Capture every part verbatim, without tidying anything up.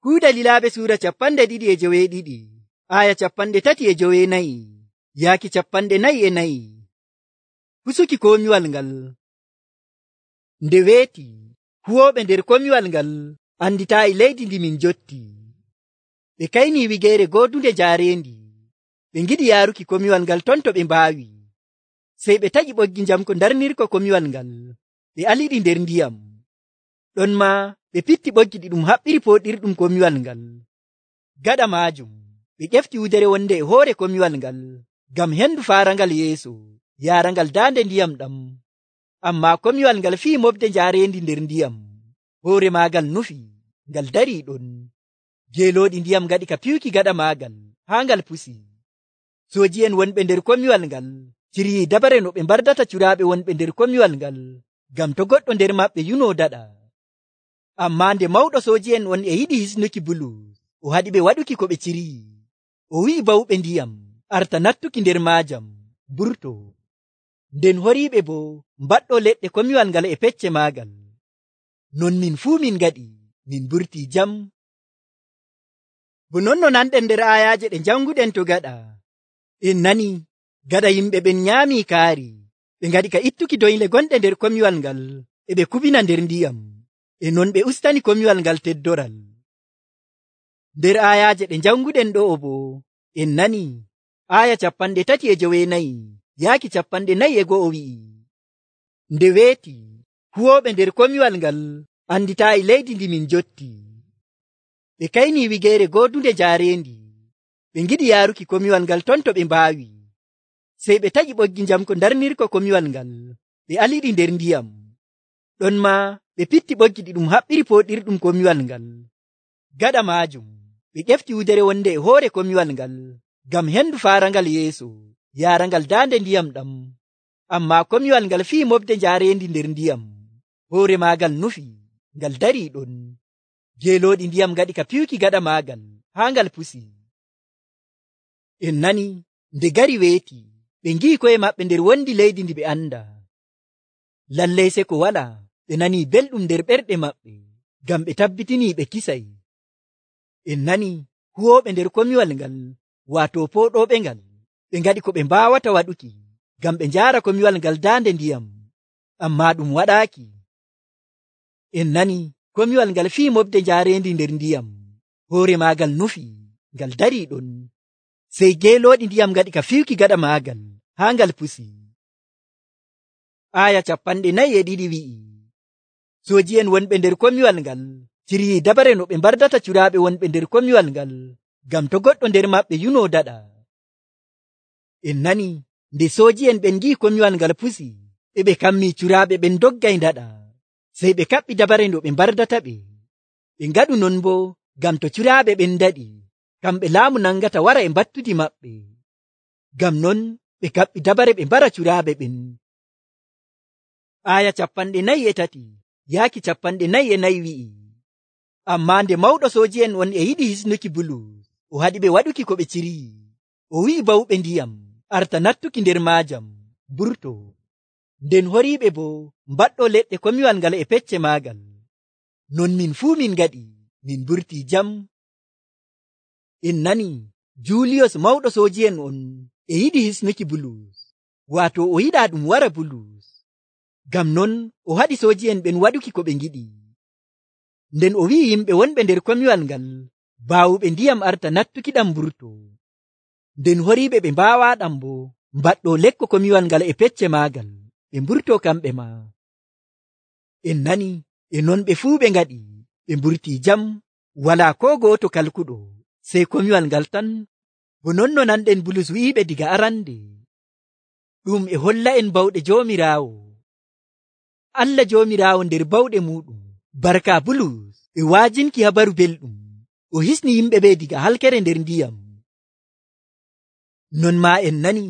Kuuɗe Lilaaɓe suura capanɗe ɗiɗi e joweeɗiɗi, aya capanɗe tati e joweenayi yaaki capanɗe nayi e nayi. Pusuki komiwal ngal. Nde weeti, huwooɓe nder komiwal ngal anditaayi leydi ndi min jotti. Ɓe kaynii wigeere goodunde jaareendi. Ɓe ngiɗi yaaruki komiwal ngal ton to ɓe mbaawi. Sey ɓe taƴi ɓoggi njamko darnirko komiwal ngal, ɓe aliɗi nder ndiyam. Ɗon maa ɓe pitti ɓoggi ɗi ɗum haɓɓiri pooɗirɗum komiwal ngal. Gaɗa maajum, ɓe ƴefti wudere wonde e hoore komiwal ngal, ngam hendu faarangal yeeso, yaarangal daande ndiyam ɗam. Ammaa komiwal ngal fii mofde jaareendi nder ndiyam. Hoore maagal nufi, ngal darii ɗon. Geelooɗi ndiyam ngaɗi ka piwki gaɗa maagal, haa ngal pusi. Sooji'en wonɓe nder komiwal ngal ciryii dabare no ɓe mbardata curaaɓe wonɓe nder komiwal ngal, ngam to goɗɗo nder maɓɓe yunoo daɗa. Ammaa nde mawɗo sooji'en on e yiɗi hisnuki Bulus, o haɗiɓe waɗuki ko ɓe ciryii. O wi'i bawɓe ndiyam arta nattuki nder maajam, mburtoo. Nden horiiɓe boo mbaɗɗoo leɗɗe komiwal ngal e pecce maagal. Non min fuu min ngaɗi, min mburtii jam. Bo non no nanɗen nder aayaaje ɗe janguɗen to gaɗa. En nani, gaɗa yimɓe ɓen nyaamii kaari, ɓe ngaɗi ka ittuki doyle gonɗe nder komiwal ngal, e ɓe kubina nder ndiyam, e non ɓe ustani komiwal ngal teddoral. Nder aayaaje ɗe janguɗen ɗo'o boo, en nani, aaya capanɗe tati e joweenayi yaaki capanɗe nayi e go'o wi'i, nde weeti, huwooɓe nder komiwal ngal anditaayi leydi ndi min jotti. Ɓe kaynii wigeere goodunde jaareendi. Ɓe ngiɗi yaaruki komiwal ngal ton to ɓe mbaawi. Sey ɓe taƴi ɓoggi njamko darnirko komiwal ngal, ɓe aliɗi nder ndiyam. Ɗon maa ɓe pitti ɓoggi ɗi ɗum haɓɓiri pooɗirɗum komiwal ngal. Gaɗa maajum, ɓe ƴefti wudere wonde e hoore komiwal ngal, ngam hendu faarangal yeeso, yaarangal daande ndiyam ɗam. Ammaa komiwal ngal fii mofde jaareendi nder ndiyam. Hoore maagal nufi, ngal darii ɗon. Geelooɗi ndiyam ngaɗi ka piwki gaɗa maagal, haa ngal pusi. En nani, nde gari weeti, ɓe ngi'i ko'e maɓɓe nder wondi leydi ndi ɓe anda. Lallay seko walaa, ɓe nanii belɗum nder ɓerɗe maɓɓe, ngam ɓe tabbitinii ɓe kisay. En nani, huwooɓe nder komiwal ngal, waato pooɗooɓe ngal, ɓe ngaɗi ko ɓe mbaawata waɗuki, ngam ɓe njaara komiwal ngal daande ndiyam, ammaa ɗum waɗaaki. En nani, komiwal ngal fii mofde jaareendi nder ndiyam, hoore maagal nufi, ngal darii ɗon. Sey geelooɗi ndiyam ngaɗi ka fiwki gaɗa maagal, haa ngal pusi. Aaya capanɗe nayi e ɗiɗi wi'i, sooji'en wonɓe nder komiwal ngal ciryii dabare no ɓe mbardata curaaɓe wonɓe nder komiwal ngal, ngam to goɗɗo nder maɓɓe yunoo daɗa. En nani, nde sooji'en ɓen ngi'i komiwal ngal pusi, e ɓe kammii curaaɓe ɓen doggay daɗa. Sey ɓe kaɓɓi dabare no ɓe mbardata ɓe. Ɓe ngaɗu non boo ngam to curaaɓe ɓen daɗi, kamɓe laamu nangata wara e mbattudi maɓɓe. Ngam non ɓe kaɓɓi dabare ɓe mbara curaaɓe ɓen. Aaya capanɗe nayi e tati yaaki capanɗe nayi e nayi wi'i, ammaa nde mawɗo sooji'en on e yiɗi hisnuki Bulus, o haɗiɓe waɗuki ko ɓe ciryii. O wi'i bawɓe ndiyam arta nattuki nder maajam, mburtoo. Nden horiiɓe boo mbaɗɗoo leɗɗe komiwal ngal e pecce maagal. Non min fuu min ngaɗi, min mburtii jam. En nani, Juuliyos mawɗo sooji'en on e yiɗi hisnuki Bulus, waato o yiɗaa ɗum wara Bulus. Ngam non o haɗi sooji'en ɓen waɗuki ko ɓe ngiɗi. Nden o wi'i yimɓe wonɓe nder komiwal ngal, baawuɓe ndiyam arta nattuki ɗam mburtoo. Nden horiiɓe ɓe mbaawaaɗam boo mbaɗɗoo lekko komiwal ngal e pecce maagal, ɓe mburtoo kamɓe maa. En nani, e non ɓe fuu ɓe ngaɗi, ɓe mburtii jam, walaa koo gooto kalkuɗo, sey komiwal ngal tan. Bo non no nanɗen Bulus wi'iɓe diga arande. Ɗum e holla en bawɗe Joomiraawo. Allah Joomiraawo nder bawɗe muuɗum, barka Bulus e waajinki habaru belɗum, o hisni yimɓe ɓe diga halkere nder ndiyam. Non maa en nani,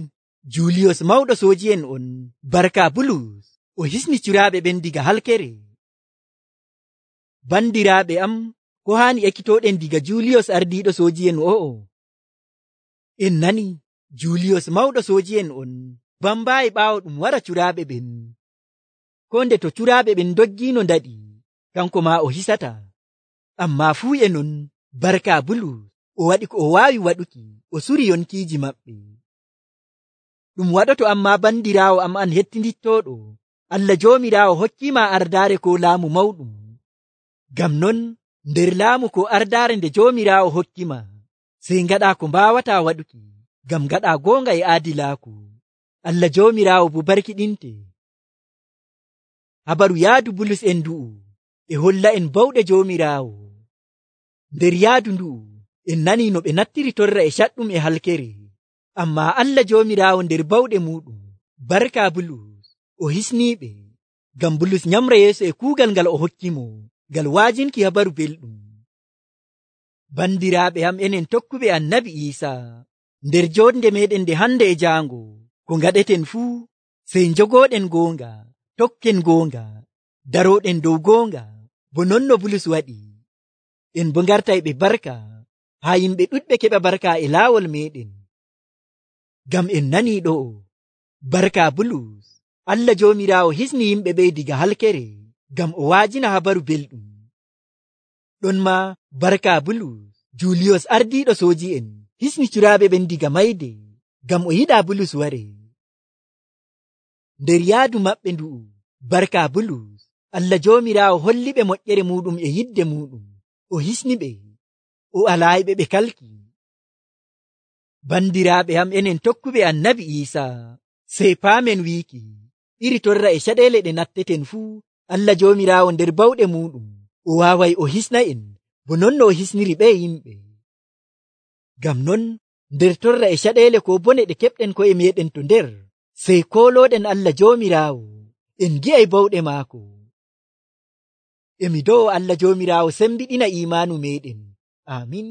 Juuliyos mawɗo sooji'en on, barka Bulus, o hisni curaaɓe ɓen diga halkere. Bandiraaɓe am, ko haani ekkitooɗen diga Juuliyos ardiiɗo sooji'en o'o? En nani, Juuliyos mawɗo sooji'en on bambaayi ɓaawo ɗum wara curaaɓe ɓen. Ko nde to curaaɓe ɓen doggiino ndaɗi, kanko maa o hisata. Ammaa fuu e non, barka Bulus o waɗi ko o waawi waɗuki o suri yonkiiji maɓɓe. Ɗum waɗoto amma bandiraawo am an hettindittoɗo, Allah Joomiraawo hokkiima ardaare ko laamu mawɗum. Ngam non nder laamu ko ardaare nde Joomiraawo hokkima, sey ngaɗa ko mbaawataa waɗuki ngam ngaɗa goonga e aadilaaku. Allah Joomiraawo bo barkiɗinte. Habaru yaadu Bulus en ndu'u e holla en bawɗe Joomiraawo. Nder yaadu ndu'u en nani no ɓe nattiri torra e caɗɗum e halkere, amma Allah Joomiraawo nder bawɗe muɗum barka Bulus o hisniiɓe, ngam Bulus nyamra yeeso e kuugal ngal o hokkimo ngal waajinki habaru belɗum. Bandiraaɓe am enen tokkuɓe Annabi Iisaa, nder jonde meɗen nde hande e jaango, ko ngaɗeten fuu sey njogoɗen goonga, tokken goonga, daroɗen dow goonga, bo non no Bulus waɗi. En bo ngartay ɓe barka haa yimɓe ɗuɗɓe keɓa barka e laawol meɗen. Ngam en nani ɗo'o, barka Bulus, Allah Joomiraawo hisni yimɓe ɓe diga halkere ngam o waajina habaru belɗum. Ɗon ma barka Bulus, Juliyos ardiiɗo sooji'en hisni curaaɓe ɓen diga mayde ngam o yiɗa Bulus ware. Nder yaadu maɓɓe ndu'u, barka Bulus, Allah Joomiraawo holli ɓe moƴƴere muɗum e yidde muɗum, o hisni ɓe, o alaayiɓe ɓe kalki. Bandiraaɓe am enen tokkuɓe Annabi Iisaa, sey paamen wiiki iri torra e caɗeele ɗe natteten fuu, Allah Joomiraawo nder bawɗe muɗum o waaway o hisna en bo non no o hisniri ɓe yimɓe. Ngam non nder torra e caɗeele ko bone ɗe keɓɗen ko'e meɗen to nder, sey koolooɗen Allah Joomiraawo en gi'ay bawɗe maako. Emi do'o Allah Joomiraawo sembiɗina imaanu meɗen. Amin.